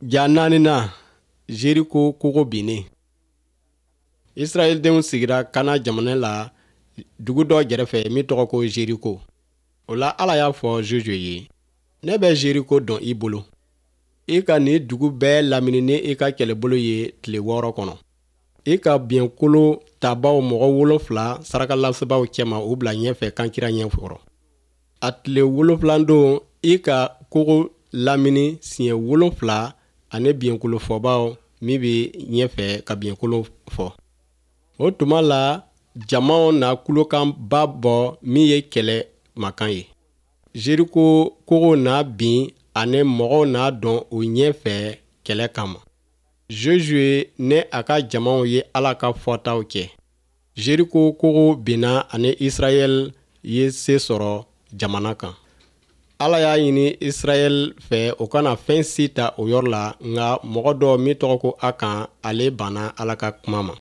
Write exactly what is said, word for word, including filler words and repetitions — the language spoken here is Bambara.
Ja naaninan, Jeriko kogo binnen. Israɛldenw sigira Kana jamana la dugu dɔ gɛrɛfɛ min tɔgɔ ko Jeriko. O la Ala y'a fɔ Josue ye, ne bɛ Jeriko dɔn i bolo. I ka nin dugu bɛɛ lamini ni i ka kɛlɛbolo ye tile wɔɔrɔ kɔnɔ. I ka biɲɛkolo tabaw mɔgɔ wolonfila sarakalasebaaw cɛma u bila ɲɛfɛ kankira ɲɛkɔrɔ. A tile wolonfilan don i ka kogo lamini siɲɛ wolonfila ani biɲɛkolo fɔbaw min bɛ ɲɛfɛ ka biɲɛkolo fɔ. O tuma la jamaw na kulokanba bɔ min ye kɛlɛ mankan ye. Jeriko kogo na bin ani mɔgɔw n'a dɔn o ɲɛfɛ kɛlɛ kama. Josue ni a ka jamaw ye Ala ka fɔtaw kɛ. Jeriko kogo binna ani Israɛl ye se sɔrɔ jamana kan. Ala y'a ɲini Israɛl fɛ o kana fɛn si ta o yɔrɔ la, nka mɔgɔ dɔ min tɔgɔ ko Akan, ale banna Ala ka kuma ma.